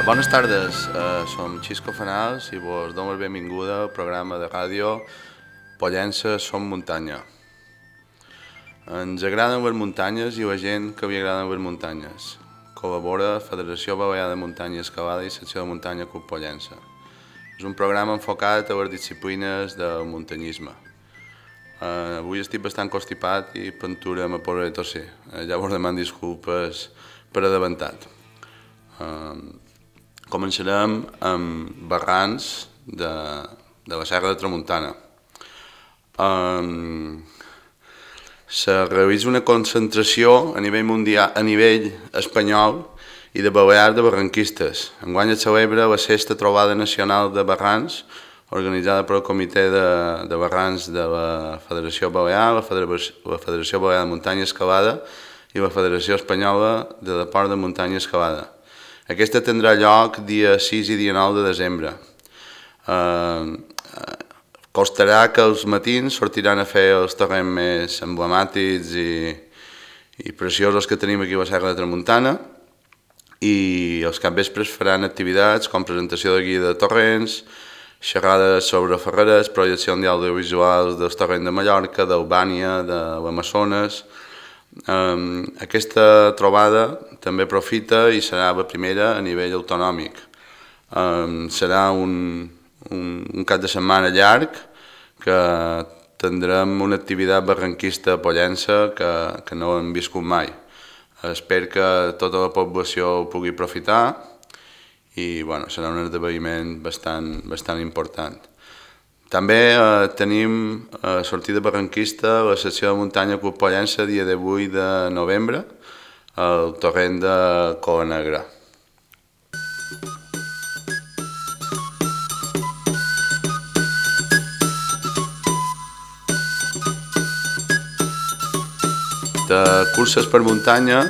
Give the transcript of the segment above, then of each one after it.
Bones tardes, som Xisco Fanals i vos dono la benvinguda al programa de ràdio Pollença Som Muntanya. Ens agraden les muntanyes i la gent que li agraden les muntanyes. Col·labora Federació Balear de Muntanya i Escalada i Secció de Muntanya Club Pollença. És un programa enfocat a les disciplines del muntanyisme. Avui estic bastant constipat i pentura me podré tosser. Llavors demano disculpes per adelantat. Començarem amb barrans de la Serra de Tramuntana. Se realitza una concentració a nivell mundial, a nivell espanyol i de Balears de barranquistes. Enguany es celebra la 6ª trobada nacional de barrans organitzada pel Comitè de Barrans de la Federació Balear, la Federació Balear de Muntanya i Escalada i la Federació Espanyola de Deport de Muntanya i Escalada. Aquesta tindrà lloc dia 6 i dia 9 de desembre. Constarà que els matins sortiran a fer els terrenys més emblemàtics i preciosos que tenim aquí a la Serra de Tramuntana i els capvespres faran activitats com presentació de guia de torrents, xerrades sobre ferreres, projecció d'audiovisuals dels terrenys de Mallorca, d'Albània, de l'Amazones. Aquesta trobada també aprofita i serà la primera a nivell autonòmic. Serà un cap de setmana llarg que tindrem una activitat barranquista a Pollença que no hem viscut mai. Espero que tota la població ho pugui aprofitar i serà un esdeveniment bastant important. També tenim sortida barranquista a la secció de muntanya Club Pollença dia 18 de novembre al torrent de Cola Negra. De curses per muntanya,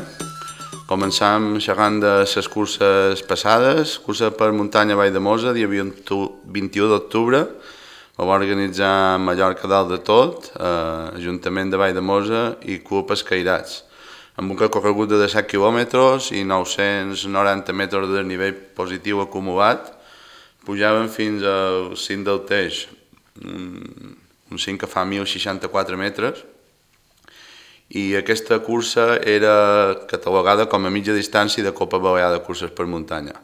començam xerrant de les curses passades. Cursa per muntanya Vall de Mosa, dia 21 d'octubre, la va organitzar Mallorca Dalt de Tot, Ajuntament de Vall de Mosa i Club Escairats, amb un recorregut de 17 quilòmetres i 990 metres de nivell positiu acumulat. Pujaven fins al cim del Teix, un cim que fa 1.064 metres, i aquesta cursa era catalogada com a mitja distància de Copa Balear de curses per muntanya.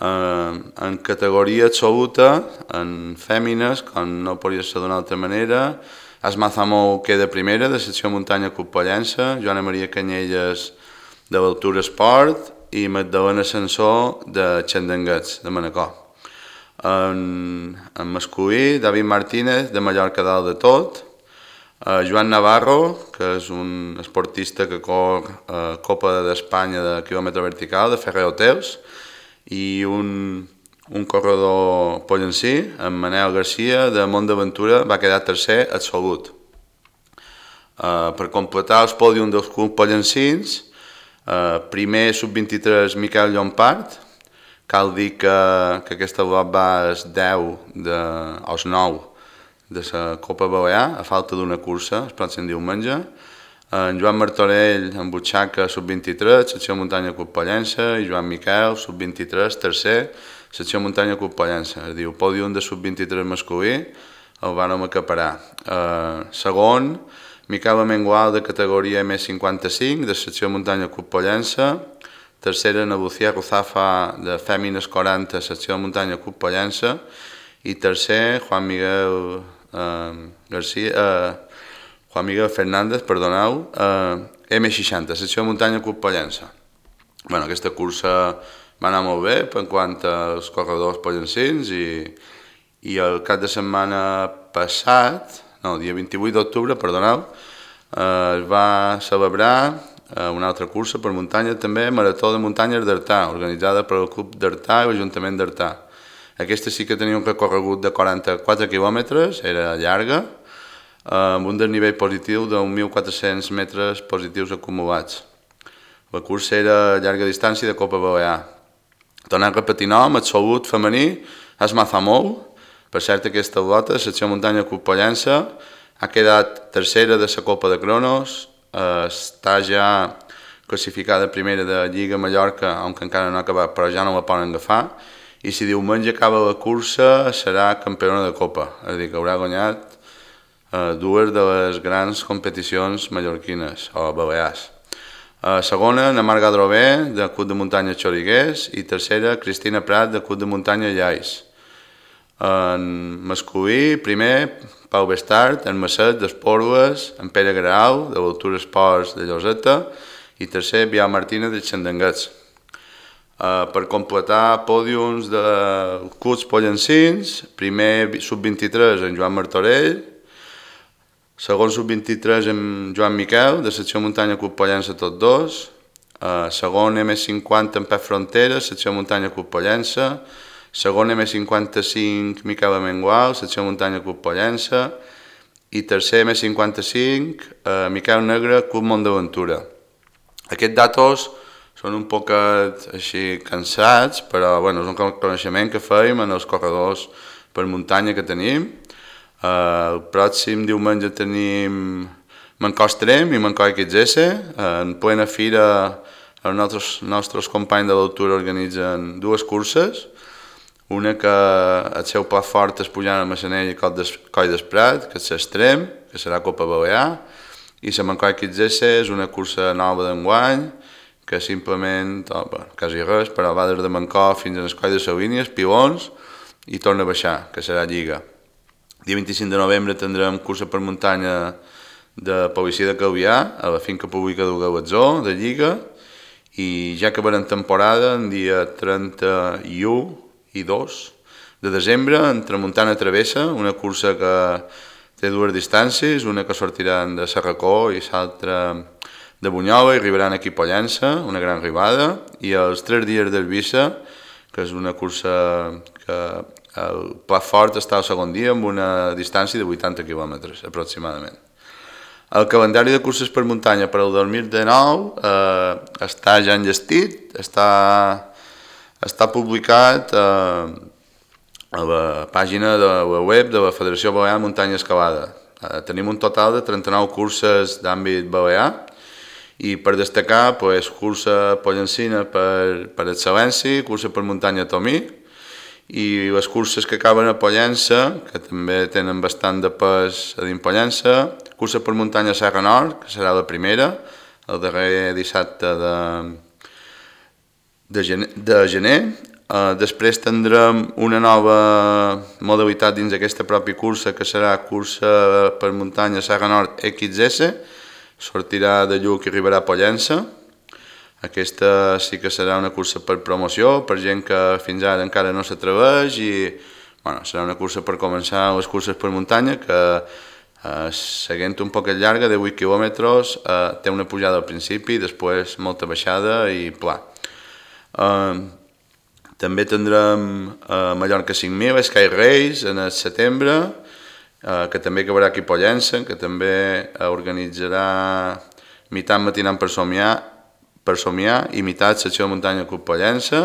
En categoria absoluta, en fèmines, com no podria ser d'una altra manera, Asma Zamou queda primera, de secció muntanya Club Pollença, Joana Maria Canyelles de l'Altura Esport i Magdalena Sansó de Xandanguets, de Manacor. En masculí, David Martínez de Mallorca Dalt de Tot, Joan Navarro, que és un esportista que corre Copa d'Espanya de quilòmetre vertical, de Ferrer Hotels, i un corredor pollencí, en Manel Garcia, de Mont d'Aventura, va quedar tercer absolut. Per completar els pòdium dels clubs pollencins, primer sub-23 Miquel Llompart, cal dir que aquesta lot va als 10 als 9 de la Copa Balear, a falta d'una cursa, el pròxim diumenge. En Joan Martorell, en butxaca, sub-23, secció muntanya Club Pollença, i Joan Miquel, sub-23, tercer, secció muntanya Club Pollença. Es diu pòdium de sub-23 masculí, el vàrem acaparar. Segon, Miquel Amengual, de categoria M55, de secció muntanya Club Pollença. Tercera, Nabucia Ruzafa, de fèmines 40, secció muntanya Club Pollença. I tercer, Juan Miguel Fernández, perdoneu, M60, secció de muntanya Club Pollença. Aquesta cursa va anar molt bé en quant als corredors pollencins i el cap de setmana passat, dia 28 d'octubre, perdoneu, es va celebrar una altra cursa per muntanya també, Marató de Muntanyes d'Artà, organitzada pel Club d'Artà i l'Ajuntament d'Artà. Aquesta sí que tenia un recorregut de 44 quilòmetres, era llarga, amb un desnivell positiu de 1.400 metres positius acumulats. La cursa era llarga distància de Copa Balear. Tornant a repetir nom, absolut femení, Asma Zamou. Per cert, aquesta lota, secció muntanya Club Pollença, ha quedat tercera de la Copa de Cronos, està ja classificada primera de Lliga Mallorca, aunque encara no ha acabat, però ja no la poden agafar, i si diumenge acaba la cursa serà campiona de Copa, és a dir, que haurà guanyat dues de les grans competicions mallorquines o balears. Segona, Ana Mar Gadrové, del Club de Muntanya Xoriguers, i tercera, Cristina Prat, del Club de Muntanya Llais. En masculí, primer, Pau Bestart, en Masset, d'Espòrdues, en Pere Grau, de l'Altura Esports de Lloseta, i tercer, Biau Martínez, de Xandanguets. Per completar pòdiums de clubs pollencins, primer sub-23 en Joan Martorell, segon sub-23 en Joan Miquel, de secció muntanya Club Pollença tots dos, segon M50 en Pep Frontera, secció muntanya Club Pollença, segon M55 Miquel Amengual, secció muntanya Club Pollença, i tercer M55 Miquel Negre, Club Mont d'Aventura. Aquests datos són un poc així cansats, però bueno, és un coneixement que fèiem en els corredors per muntanya que tenim. El pròxim diumenge tenim Mancó Extrem i Mancó XS. En plena fira els nostres companys de l'Altura organitzen dues curses. Una que el seu plat fort és pujant a Massanell i Coll d'Esprat, que és l'Extrem, que serà Copa Balear, i la Mancó XS és una cursa nova d'enguany, que simplement, quasi res, però va des de Mancó fins a l'Escoll de Salínies, Pilons, i torna a baixar, que serà Lliga. Dia 25 de novembre tindrem cursa per muntanya de Policia de Calvià, a la finca pública del Galatzó, de Lliga, i ja acabarem temporada en dia 31 i 2 de desembre en Tramuntana Travessa, una cursa que té dues distàncies, una que sortiran de Serracó i l'altra de Bunyola i arribaran aquí a Pollença, una gran arribada, i els 3 dies d'Eivissa, que és una cursa que el plat fort està al segon dia amb una distància de 80 quilòmetres aproximadament. El calendari de curses per muntanya per al 2019 està ja enllestit, està publicat a la pàgina de la web de la Federació Balear Muntanya Escalada. Tenim un total de 39 curses d'àmbit balear, i per destacar, cursa pollencina per excel·lència, cursa per muntanya Tomí, i les curses que acaben a Pollença, que també tenen bastant de pes a dins Pollença, cursa per muntanya Serra Nord, que serà la primera, el darrer dissabte de gener. Després tindrem una nova modalitat dins d'aquesta pròpia cursa, que serà cursa per muntanya Serra Nord XS, sortirà de Lluc i arribarà a Pollença. Aquesta sí que serà una cursa per promoció, per gent que fins ara encara no s'atreveix, i serà una cursa per començar les curses per muntanya, que seguint un poquet llarga, de 8 quilòmetres, té una pujada al principi, després molta baixada i pla. També tindrem Mallorca 5.000, Sky Race, en el setembre, que també acabarà aquí a Pollença, que també organitzarà meitat matinant per somiar i meitat secció de muntanya Club Pollença,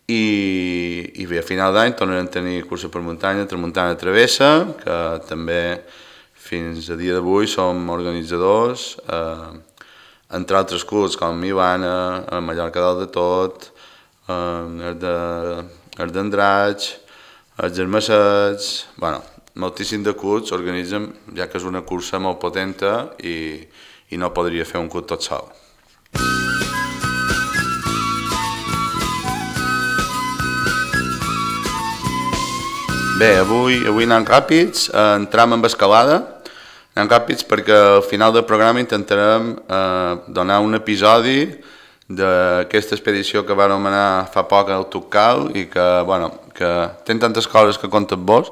i bé, a final d'any tornarem a tenir cursa per muntanya Tramuntana Travessa, que també fins a dia d'avui som organitzadors, entre altres clubs com Milana, Mallorca Dalt de Tot, els d'Andratx, els Germassets, moltíssim de clubs organitzen, ja que és una cursa molt potenta i no podria fer un club tot sol. Bé, avui anem ràpids, entram amb escalada, anem ràpids perquè al final del programa intentarem donar un episodi d'aquesta expedició que vam anar fa poc al Tucal i que té tantes coses que conta vos,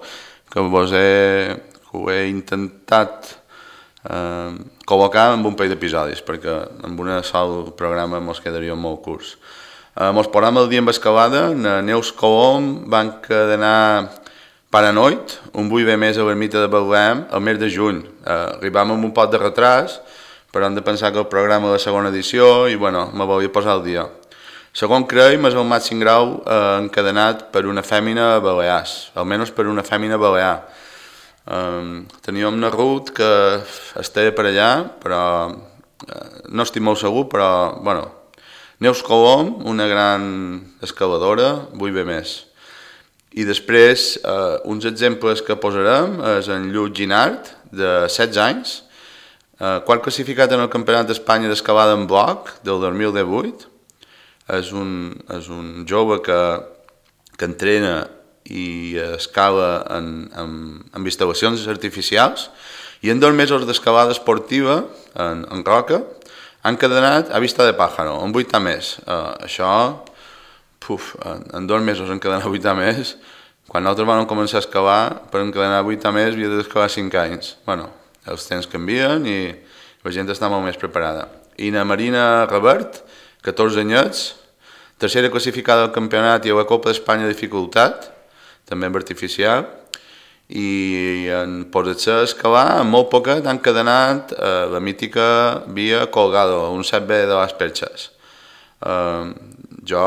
que ho he intentat col·locar en un parell d'episodis, perquè en un sol programa ens quedaria molt curts. Ens posem el dia amb escalada. Neus Colom van encadenar Paranoid, un 8 més a l'ermita de Betlem, el mes de juny. Arribàvem amb un poc de retras, però hem de pensar que el programa de la segona edició i me volia posar al dia. Segon creiem és el màxim grau encadenat per una fèmina a Balears, almenys per una fèmina balear. Teníem una Ruth que estava per allà, però no estic molt segur, però, bueno, Neus Colom, una gran excavadora, vull bé més. I després, uns exemples que posarem és en Lluc Ginart, de 16 anys, quart classificat en el Campionat d'Espanya d'escalada en bloc del 2018. És un jove que entrena i escala en instal·lacions artificials, i en 2 mesos d'escalada esportiva en roca han encadenat a vista de pájaro, en 8 més. Això, en 2 mesos encadenar 8 més, quan nosaltres vam començar a escalar, per encadenar 8 més havia d'escalar 5 anys. Bueno, els temps canvien i la gent està molt més preparada. I la Marina Revert, 14 anyets, tercera classificada al campionat i a la Copa d'Espanya de dificultat, també en artificial, i en posar-se a escalar, en molt poquet han encadenat la mítica via Colgado, un 7B de les Perxes. Jo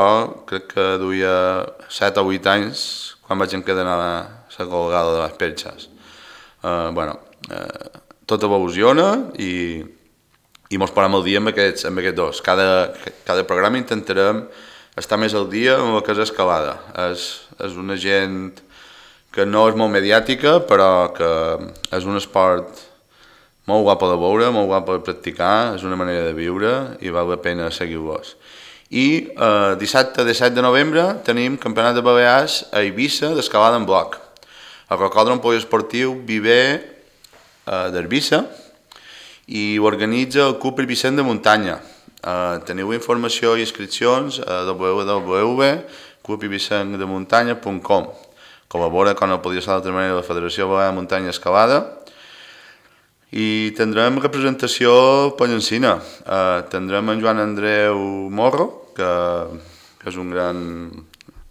crec que duia 7 o 8 anys quan vaig encadenar la Colgado de les Perxes. Tot evoluciona i mos posem al dia amb aquests dos. Cada programa intentarem estar més al dia amb el que és escalada. És una gent que no és molt mediàtica, però que és un esport molt guapo de veure, molt guapo de practicar, és una manera de viure i val la pena seguir-los. I dissabte 17 de novembre tenim Campionat de Balears a Eivissa d'escalada en bloc. El Rocòdrom Poliesportiu Viver d'Eivissa i organitza el Club Eivissent de Muntanya. Teniu informació i inscripcions a www.clubeivissentdemuntanya.com. Col·labora, com no podia ser d'altra manera, la Federació Balear de Muntanya Escalada. I tindrem representació pallencina. Tindrem en Joan Andreu Morro, que és un gran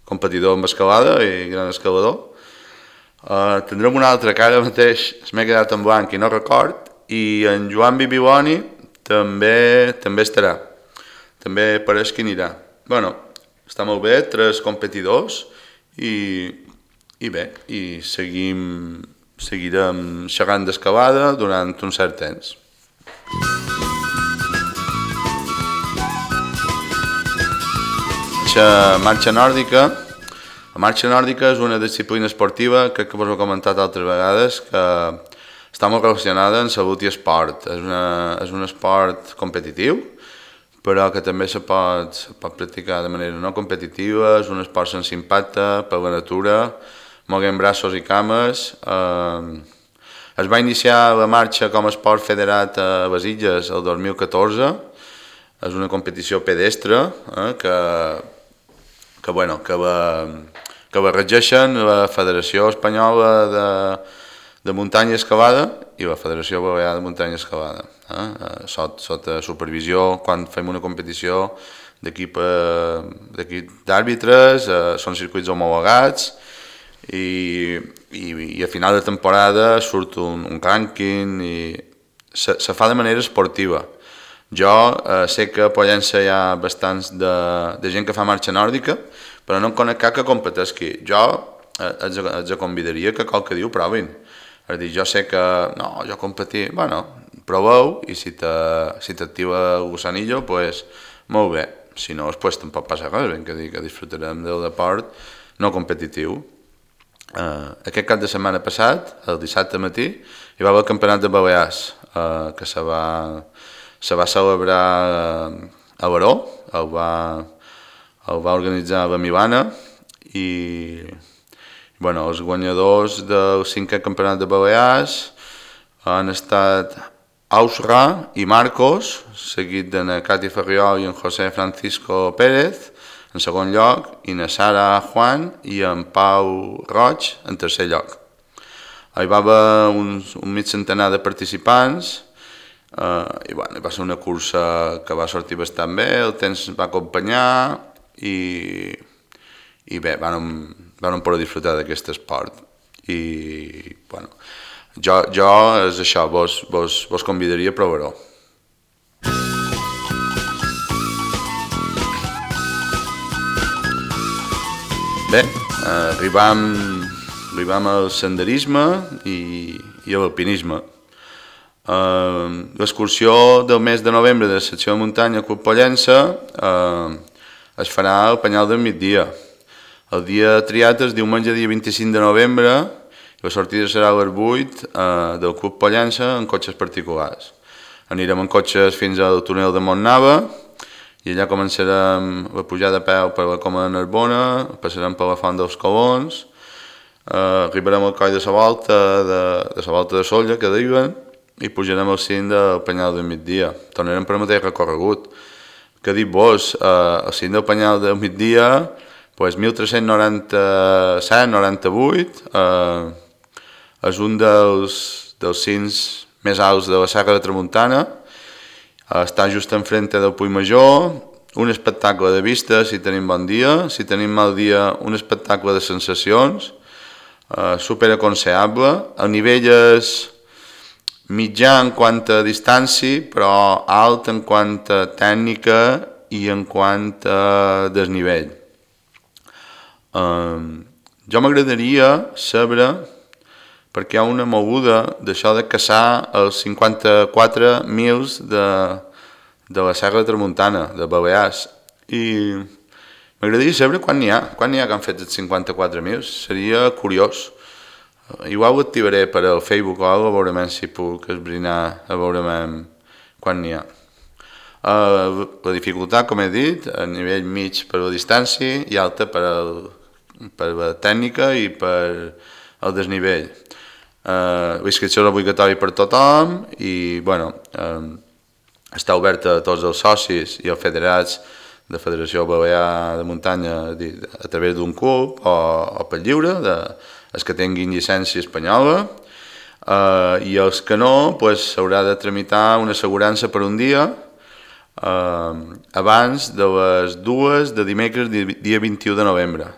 competidor en escalada i gran escalador. Tindrem un altre que ara mateix m'he quedat en blanc i no record, i en Joan Bibiloni també estarà. També pareix que anirà. Bueno, està molt bé, 3 competidors i bé, i seguirem xerrant d'escalada durant un cert temps. Marxa nòrdica. La marxa nòrdica és una disciplina esportiva, crec que us ho he comentat altres vegades, que està molt relacionada amb salut i esport. És un esport competitiu, però que també se pot practicar de manera no competitiva. És un esport sense impacte per la natura, moguem braços i cames. Es va iniciar la marxa com a esport federat a les Illes el 2014. És una competició pedestre que la regeixen la Federació Espanyola de Muntanya i Escalada i la Federació Balear de Muntanya i Escalada. Sota supervisió, quan fem una competició d'equip d'àrbitres, són circuits homologats, i a final de temporada surt un rànquing i se fa de manera esportiva. Jo sé que a Pollença hi ha bastants de gent que fa marxa nòrdica, però no en conec cap que competeixi. Jo els convidaria que qualque dia ho provin. És a dir, jo sé que jo competir, proveu, i si t'activa el gusanillo, doncs molt bé. Si no, doncs tampoc passa res, ben que disfrutarem del deport no competitiu. Aquest cap de setmana passat, el dissabte matí, hi va haver el Campionat de Balears, que se va celebrar a Baró, el va organitzar la Milana, i els guanyadors del 5è Campionat de Balears han estat Ausra i Marcos, seguit de na Cati Ferriol i en José Francisco Pérez, en segon lloc, i na Sara Juan i en Pau Roig en tercer lloc. Hi va haver un mig centenar de participants i va ser una cursa que va sortir bastant bé, el temps va acompanyar i bé, vam poder disfrutar d'aquest esport. I jo és això, vos convidaria a provar-ho. Bé, arribam al senderisme i a l'alpinisme. L'excursió del mes de novembre de la secció de muntanya Club Pollença es farà al Penyal del Migdia. El dia triat és diumenge dia 25 de novembre i la sortida serà a les 8 del Club Pollença en cotxes particulars. Anirem en cotxes fins al túnel de Montnava i allà començarem la pujada a peu per la Coma de Narbona, passarem per la Font dels Colons, arribarem al coll de la volta de Solla, que diuen, i pujarem al cim del Penyal del Migdia. Tornarem per el mateix recorregut. Què dic vos? Al cim del Penyal del Migdia, pues 1397-98, és un dels cims més alts de la Serra de Tramuntana, està just enfront del Puig Major, un espectacle de vista si tenim bon dia, si tenim mal dia un espectacle de sensacions, superaconsellable, el nivell és mitjà en quant a distància, però alt en quant a tècnica i en quant a desnivell. Jo m'agradaria saber perquè hi ha una moguda d'això de caçar els 54 mils de la Serra de Tramuntana, de Balears, i m'agradaria saber quan n'hi ha que han fet els 54 mils, seria curiós. Igual ho activaré per al Facebook o alguna cosa, a veure si puc esbrinar, a veure quan n'hi ha. La dificultat, com he dit, a nivell mig per la distància i alta per la tècnica i per el desnivell. La inscripció és obligatòria per tothom i està oberta a tots els socis i els federats de Federació Balear de Muntanya a través d'un club o per lliure, els que tinguin llicència espanyola, i els que no s'haurà de tramitar una assegurança per un dia abans de les 2 de dimecres dia 21 de novembre.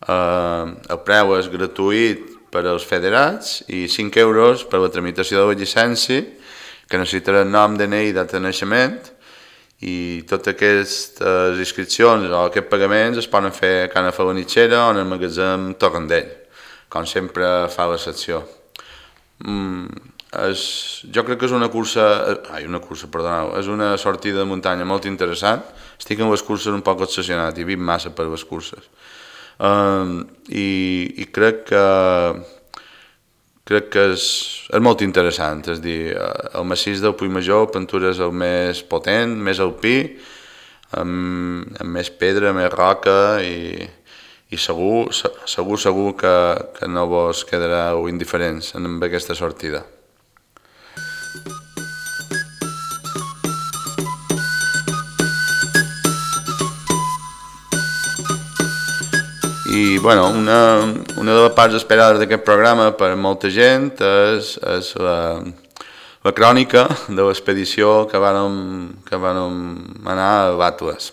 El preu és gratuït per als federats i 5 euros per la tramitació de la llicència, que necessitarà nom, DNI i data de naixement, i totes aquestes inscripcions o aquests pagaments es poden fer a Cana Falanitxera o en el magatzem Torrendell, com sempre fa la secció. Jo crec que és una sortida de muntanya molt interessant. Estic en les curses un poc obsessionat i vinc massa per les curses. I crec que és molt interessant, és a dir, el massís del Puig Major, Pentura és el més potent, més alpí, amb més pedra, més roca i segur que no vos quedareu indiferents amb aquesta sortida. I una de les parts esperades d'aquest programa per molta gent és la crònica de l'expedició que vàrem anar a l'Atles.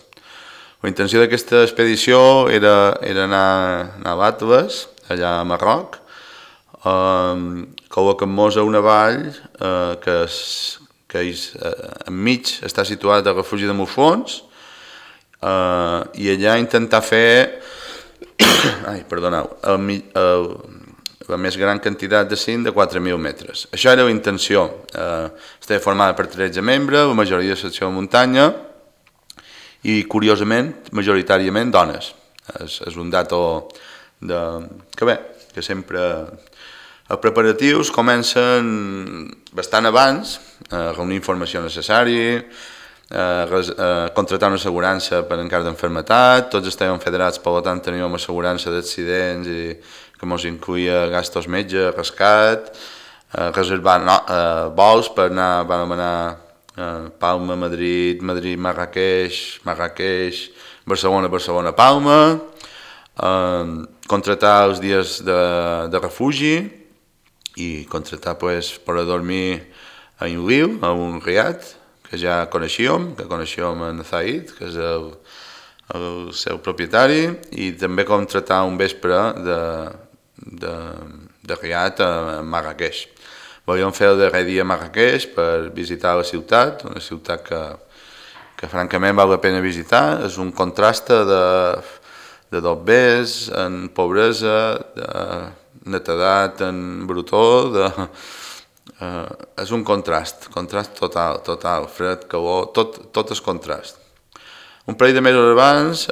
La intenció d'aquesta expedició era anar a l'Atles, allà a Marroc, col·locant-nos a una vall que enmig està situat al refugi de Muflons i allà intentar fer la més gran quantitat de cim de 4.000 metres. Això era la intenció. Estava formada per 13 membres, la majoria de secció de muntanya i, curiosament, majoritàriament dones. És un dato que sempre els preparatius comencen bastant abans, reunir informació necessària, contratar una assegurança per en cas d'enfermetat, tots estàvem federats, per tant teníem una assegurança d'accidents i que ens incluïa gastos metge, rescat, reservar vols per anar, vam anar Palma, Madrid, Marrakeix, Barcelona, Palma, contratar els dies de refugi i contratar per a dormir a un riu, a un riat, que ja coneixíem en Zaid, que és el seu propietari, i també contratar un vespre de riat a Marrakeix. Volíem fer el darrer dia a Marrakeix per visitar la ciutat, una ciutat que francament val la pena visitar. És un contrast de dobbers en pobresa, de netedat en brutó, És un contrast total, fred, calor, tot és contrast. Un parell de mesos abans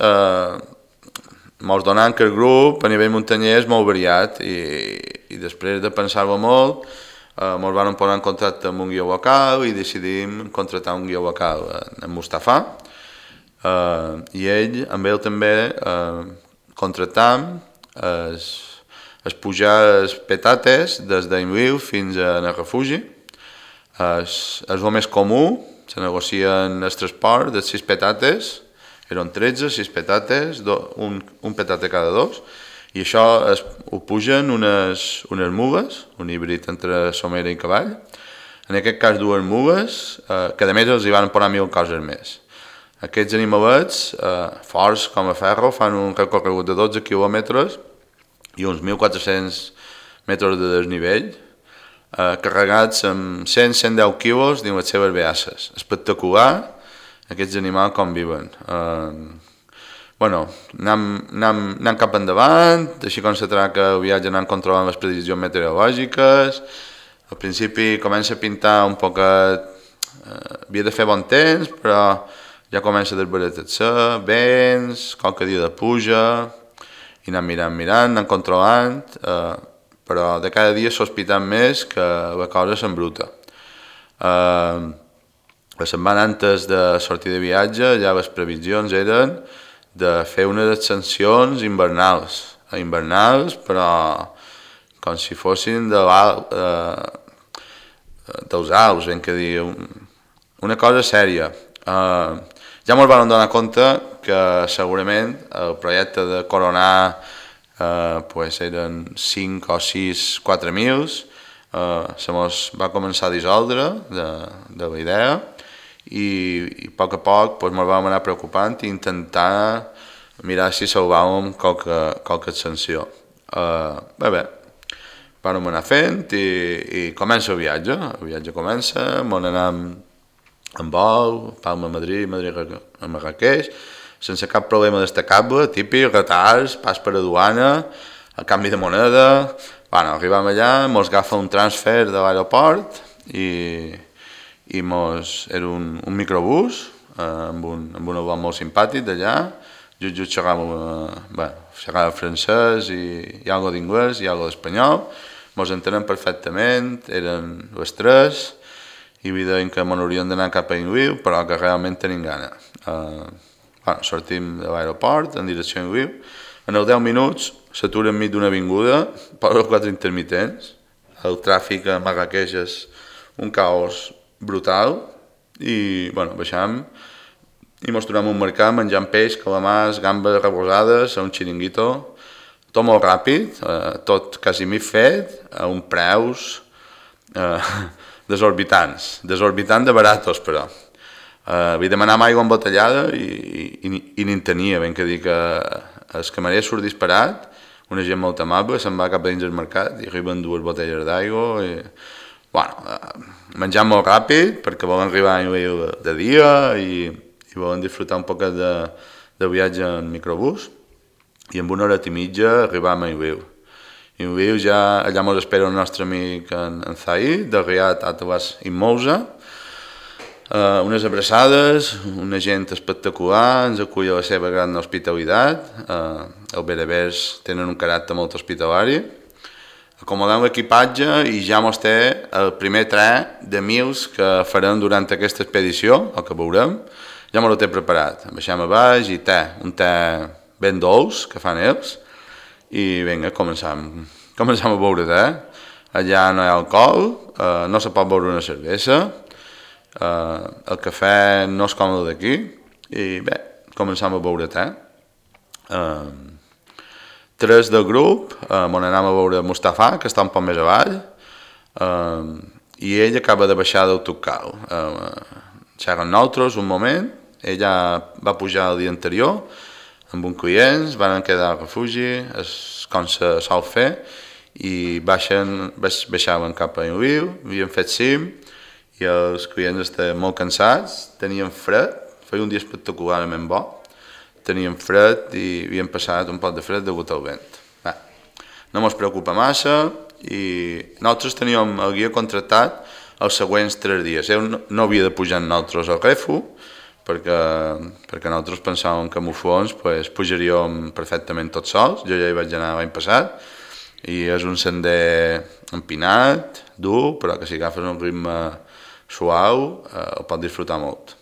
mos donant que el grup a nivell muntanyer és molt variat i després de pensar-ho molt mos van posar en contacte amb un guió local i decidim contractar un guió local, en Mustafà, i amb ell també contractam es pujar els petates des d'Inviu fins al refugi. És el més comú, se negocien el transport de 6 petates, eren 13, 6 petates, un petate cada 2, i això ho pugen unes mules, un híbrid entre somera i cavall, en aquest cas 2 mules, que a més els hi van posar 1000 coses més. Aquests animalets, forts com a ferro, fan un recorregut de 12 quilòmetres i uns 1.400 metres de desnivell, carregats amb 100-110 quilos dins les seves beasses. Espectacular, aquests animals com viven. Anem cap endavant, així com se tracta el viatge anant controlant les previsions meteorològiques. Al principi comença a pintar un poquet, havia de fer bon temps, però ja comença a desbaratar-se, vents, qualque dia de pluja, i anem mirant, anem controlant, però de cada dia sospitant més que la cosa s'embruta. La setmana antes de sortir de viatge ja les previsions eren de fer unes ascensions invernals, però com si fossin dels Alps, ben que dir, una cosa sèria. Ja ens vam donar compte que segurament el projecte de coronar eren 5 o 6 4.000, se mos va començar a dissoldre de la idea i a poc ens vam anar preocupant i intentar mirar si salvàvem qualque ascensió. Bé, vam anar fent i comença el viatge comença, on anem en vol, Palma a Madrid, Madrid a Marrakeix, sense cap problema destacable, típic, retards, pas per a duana, a canvi de moneda. Arribam allà, mos agafa un transfer de l'aeroport i era un microbús amb un avió molt simpàtic d'allà, just xerrava francès i algo d'inglès i algo d'espanyol, mos entenem perfectament, eren les 3, i deien que m'hauríem d'anar cap a Inviu, però que realment tenim gana. Sortim de l'aeroport en direcció a Inviu, en els 10 minuts s'atura enmig d'una avinguda, per als 4 intermitents, el tràfic a Marrakeix és un caos brutal, i baixam i mos trobem un mercat menjant peix, calamars, gambes rebosades, a un xiringuito, tot molt ràpid, tot quasi mig fet, a uns preus desorbitant de baratos, però. Vaig demanar aigua embotellada i n'hi tenia, ben que dir que el camarer surt disparat, una gent molt amable, se'n va cap a dins del mercat i arriben 2 botelles d'aigua i... menjant molt ràpid perquè volen arribar de dia i volen disfrutar un poc de viatge en microbús i en 1 hora i mitja arribam a Inviu. Inviu ja, allà mos espera el nostre amic en Zahid, de Riad Atlas i Mousa, unes abraçades, una gent espectacular, ens acull a la seva gran hospitalitat, els berbers tenen un caràcter molt hospitalari, acomodem l'equipatge i ja mos té el primer tren de 1.000 que farem durant aquesta expedició, el que veurem, ja mos ho té preparat. Baixem a baix i un te ben dolç que fan ells, i vinga, començam a beure te. Allà no hi ha alcohol, no se pot beure una cervesa, el cafè no és còmode d'aquí, i bé, començam a beure te. 3 del grup, on anem a veure Mustafà, que està un poc més avall, i ell acaba de baixar d'autocar. Xerren nosaltres un moment, ella va pujar el dia anterior, amb un client, van quedar al refugi, com se sol fer, i baixaven cap a Inviu, havien fet cim, i els clients estaven molt cansats, tenien fred, feia un dia espectacularment bo, tenien fred i havien passat un poc de fred degut al vent. No mos preocupa massa, i nosaltres teníem el guia contractat els següents 3 dies. Ell no havia de pujar amb nosaltres al Refu, perquè nosaltres pensàvem que amb fons pujaríem perfectament tots sols. Jo ja hi vaig anar l'any passat i és un sender empinat, dur, però que si agafes un ritme suau el pots disfrutar molt.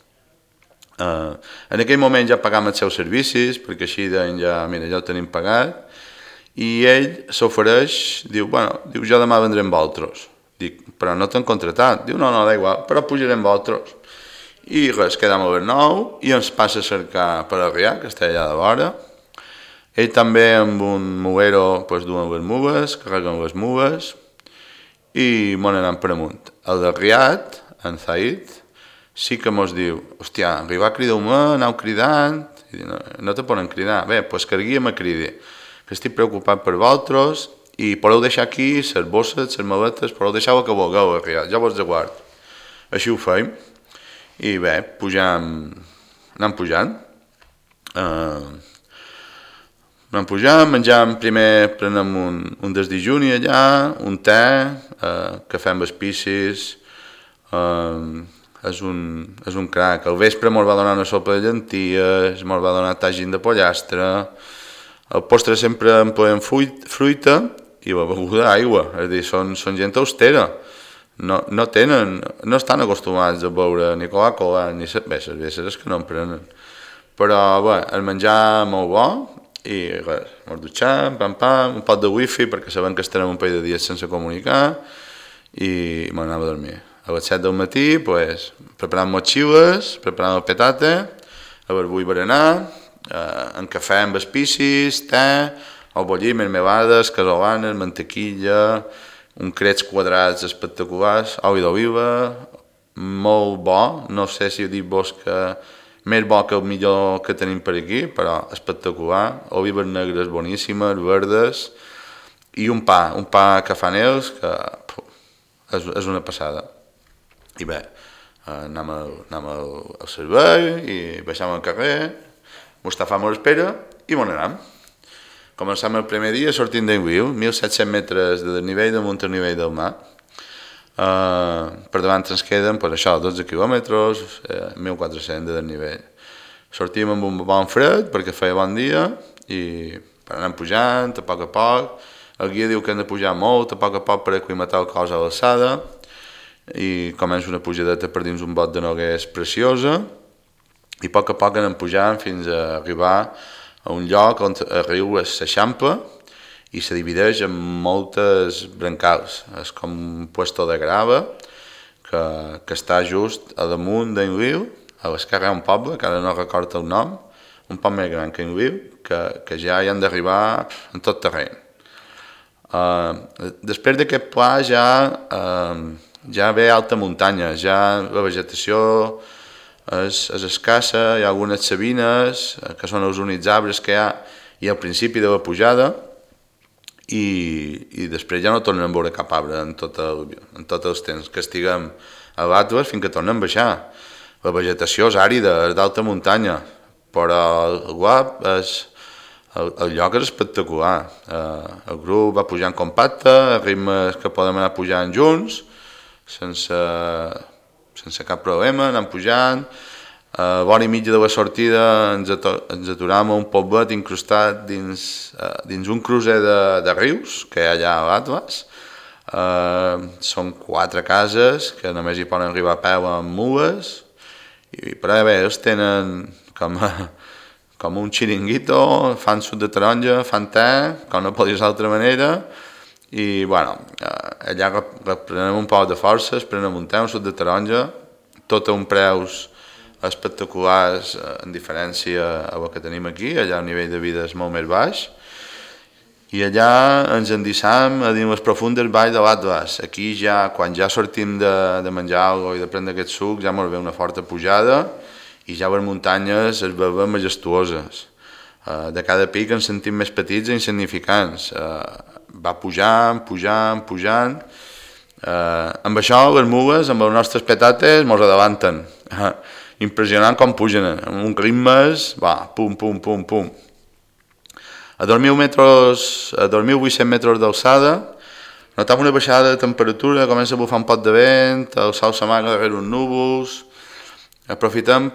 En aquell moment ja pagàvem els seus servicis, perquè així deien ja ho tenim pagat, i ell s'ofereix, diu, jo demà vendré amb vosaltres. Dic, però no t'han contratat. Diu, no, da igual, però pujaré amb vosaltres. I res, quedam a Bernou i ens passa a cercar per Arrià, que està allà de vora. Ell també amb un muguero duen les mugues, carreguen les mugues i m'on anant per amunt. El de Riat, en Zaid, sí que mos diu, hòstia, arribar crideu-me, aneu cridant, i no te poden cridar, bé, doncs que el guia me cridi, que estic preocupat per vosaltres i podeu deixar aquí les bosses, les maletes, podeu deixar el que vulgueu, jo vos aguardo. Així ho feim i bé, anem pujant. Anem pujant, menjam, primer prenem un desdejuni allà, un te, cafè amb espicis, és un crac. Al vespre mos va donar una sopa de llenties, mos va donar tagín de pollastre, el postre sempre en podem fruita i la beguda aigua, és a dir, són gent austera, no estan acostumats a beure ni Coca-Cola ni cerveses, és que no en prenen, però bé, el menjar molt bo i res, mos dutxam, un pot de wifi perquè sabem que estarem un parell de dies sense comunicar i m'anava a dormir. A les 7 del matí, preparant motxilles, preparant el petate, a barbull berenar, en cafè amb espicis, te, o bollir, mermelades, casolanes, mantequilla, un crets quadrats espectaculars, oli d'oliva, molt bo, no sé si dir-vos que més bo que el millor que tenim per aquí, però espectacular, olives negres boníssimes, verdes, i un pa que fan ells, que és una passada. I bé, anem al servei i baixem al carrer, Mustafà m'ho espera i m'on anem. Començam el primer dia sortint d'Enguiu, 1.700 metres de desnivell damunt el nivell del mar. Per davant ens queden 12 quilòmetres, 1.400 de desnivell. Sortim amb un bon fred perquè feia bon dia i anem pujant a poc. El guia diu que hem de pujar molt a poc per aclimatar el cos a l'alçada i comença una pujadeta per dins un bot de noguers preciosa i a poc anem pujant fins a arribar a un lloc on el riu s'eixampa i se divideix en moltes brancals. És com un puesto de grava que està just a damunt d'en riu, a l'esquerra hi ha un poble, que ara no recordo el nom, un poc més gran que en riu, que ja hi han d'arribar en tot terreny. Després d'aquest pla ja ve alta muntanya, ja la vegetació és escassa, hi ha algunes sabines, que són els únics arbres que hi ha, i al principi de la pujada, i després ja no tornem a veure cap arbre en tot els temps que estiguem a l'Atles fins que tornem a baixar. La vegetació és àrida, és d'alta muntanya, però el guap el lloc és espectacular. El grup va pujant compacte, a ritmes que podem anar pujant junts, sense cap problema, anem pujant. A l'hora i mitja de la sortida ens aturàvem a un poblet incrustat dins un crucer de rius que hi ha allà a l'Atles. Són 4 cases que només hi poden arribar a peu amb mules, però bé, ells tenen com un xiringuito, fan suc de taronja, fan te, com no pot dir d'altra manera, i allà prenem un poc de forces, prenem un te, un suc de taronja, tot a un preus espectaculars en diferència a el que tenim aquí, allà el nivell de vida és molt més baix, i allà ens endissam a dins les profundes valls de l'Atles. Aquí ja, quan ja sortim de menjar alguna cosa i de prendre aquest suc, ja ens ve una forta pujada i ja les muntanyes es veuen majestuoses. De cada pic ens sentim més petits i insignificants. Va pujant. Amb això, les mules, amb els nostres petates, ens adelanten. Impressionant com pugen, amb un ritmes, pum. A 2.800 metres d'alçada, notam una baixada de temperatura, comença a bufar un pot de vent, el sol s'amaga darrere uns núvols. Aprofitem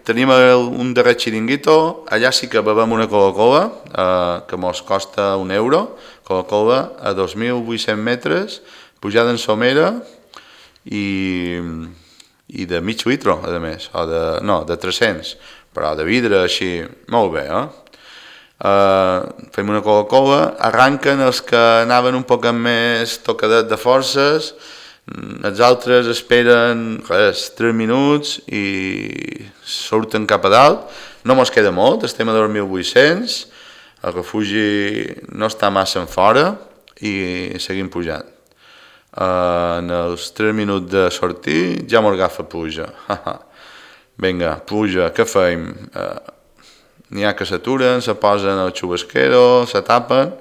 tenim un darrer xiringuito, allà sí que bevem una Coca-Cola, que mos costa €1, Coca-Cola a 2.800 metres, pujada en somera i de mig litre, a més, de 300, però de vidre així, molt bé, fem una Coca-Cola, arranquen els que anaven un poc més tocadet de forces, els altres esperen 3 minuts i surten cap a dalt, no mos queda molt, estem a 2.800, el refugi no està massa en fora i seguim pujant. En els 3 minuts de sortir ja mos agafa puja. Vinga, puja, què fem? N'hi ha que s'aturen, se posen al xubasquero, se tapen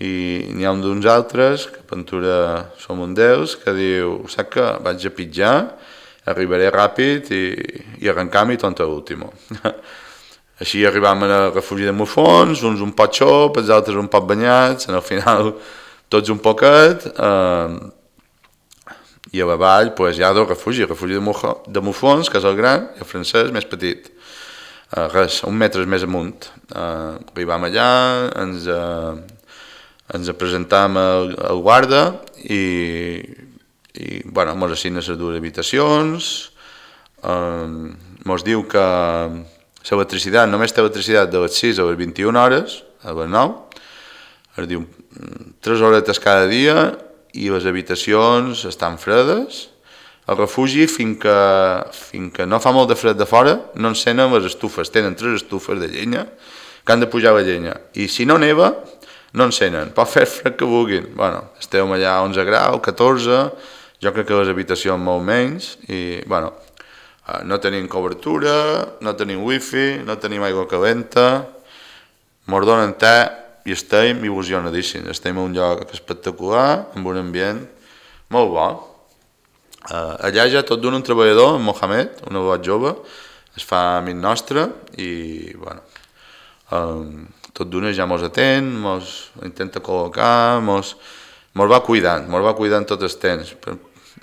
i n'hi ha un d'uns altres, que Ventura som un d'ells, que diu, saps que vaig a pitjar, arribaré ràpid i arrencam i tonto l'último. Així arribam al refugi de Mufons, uns un pot xop, els altres un pot banyats, al final tots un poquet, i a la vall hi ha dos refugis, el refugi de Mufons, que és el gran, i el francès més petit. Un metre més amunt. Arribam allà, ens presentam al guarda i mos assigna les dues habitacions, mos diu que l'electricitat, només té electricitat de les 6 a les 21 hores, a les 9, es diu 3 horetes cada dia i les habitacions estan fredes. El refugi, fins que no fa molt de fred de fora, no encenen les estufes, tenen 3 estufes de llenya que han de pujar la llenya, i si no neva no encenen, pot fer fred que vulguin. Estem allà a 11 graus, 14, jo crec que les habitacions molt menys, i no tenim cobertura, no tenim wifi, no tenim aigua calenta, mos donen te i estem il·lusionadíssims. Estem a un lloc espectacular, amb un ambient molt bo. Allà ja tot d'un un treballador, en Mohamed, un abat jove, es fa amic nostre i tot d'una ja mos atén, mos intenta col·locar, mos va cuidant tot el temps.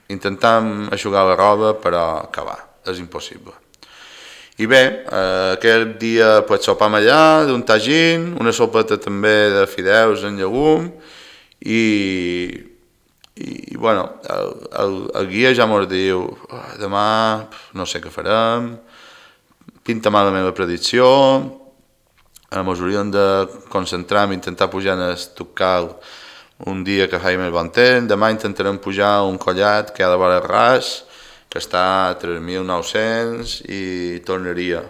Intentam eixugar la roba, però acabar, és impossible. I bé, aquell dia sopam allà d'un tagín, una sopeta també de fideus en llegum i el guia ja mos diu demà no sé què farem, pinta mal la meva predicció, mos hauríem de concentrar en intentar pujar en el Tucal un dia que faci més bon temps, demà intentarem pujar un collat que hi ha de vora ras, que està a 3.900 i tornaria.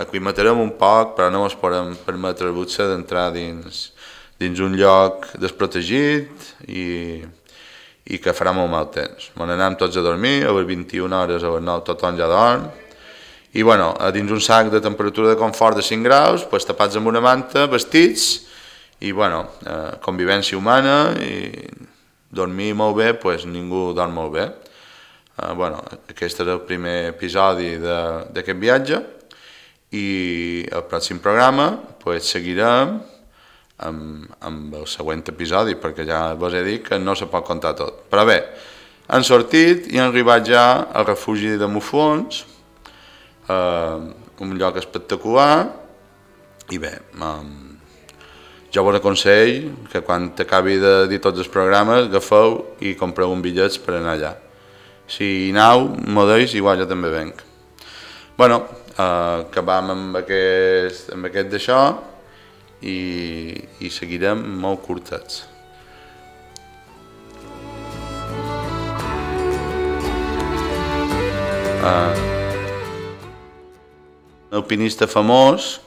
Aclimatarem un poc, però no ens podem permetre el luxe d'entrar dins un lloc desprotegit i que farà molt mal temps. Anem tots a dormir, a les 21 hores, a les 9 tothom ja dorm, i dins un sac de temperatura de confort de 5 graus, tapats amb una manta, vestits, i convivència humana, i dormir molt bé, ningú dorm molt bé. Aquest és el primer episodi d'aquest viatge, i el pròxim programa seguirem amb el següent episodi, perquè ja vos he dit que no se pot contar tot. Però bé, han sortit i han arribat ja al refugi de Mufons, un lloc espectacular, i bé, jo vos aconsell que quan acabi de dir tots els programes agafeu i compreu un bitllet per anar allà. Si aneu, m'ho deis, igual jo també venc. Acabam amb aquest d'això i seguirem molt curtets. Alpinista famós,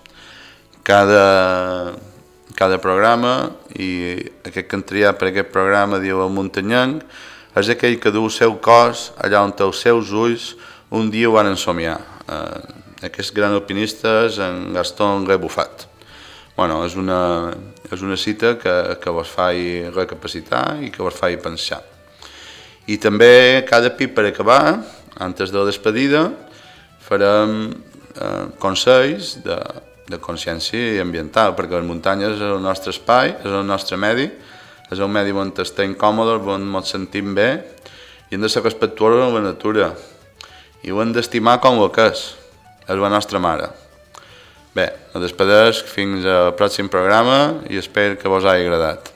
cada programa, i aquest que han triat per aquest programa diu el muntanyenc, és aquell que du el seu cos allà on els seus ulls un dia ho van ensomiar. Aquest gran alpinista és en Gaston Rebufat. És una cita que vos fa recapacitar i que vos fa pensar. I també cada pit per acabar, antes de la despedida, farem consells de consciència ambiental, perquè les muntanyes és el nostre espai, és el nostre medi, és un medi on estem còmodes, on ens sentim bé, i hem de ser respectuosos amb la natura, i ho hem d'estimar com el que és la nostra mare. Bé, a despedeix, fins al pròxim programa i espero que vos hagi agradat.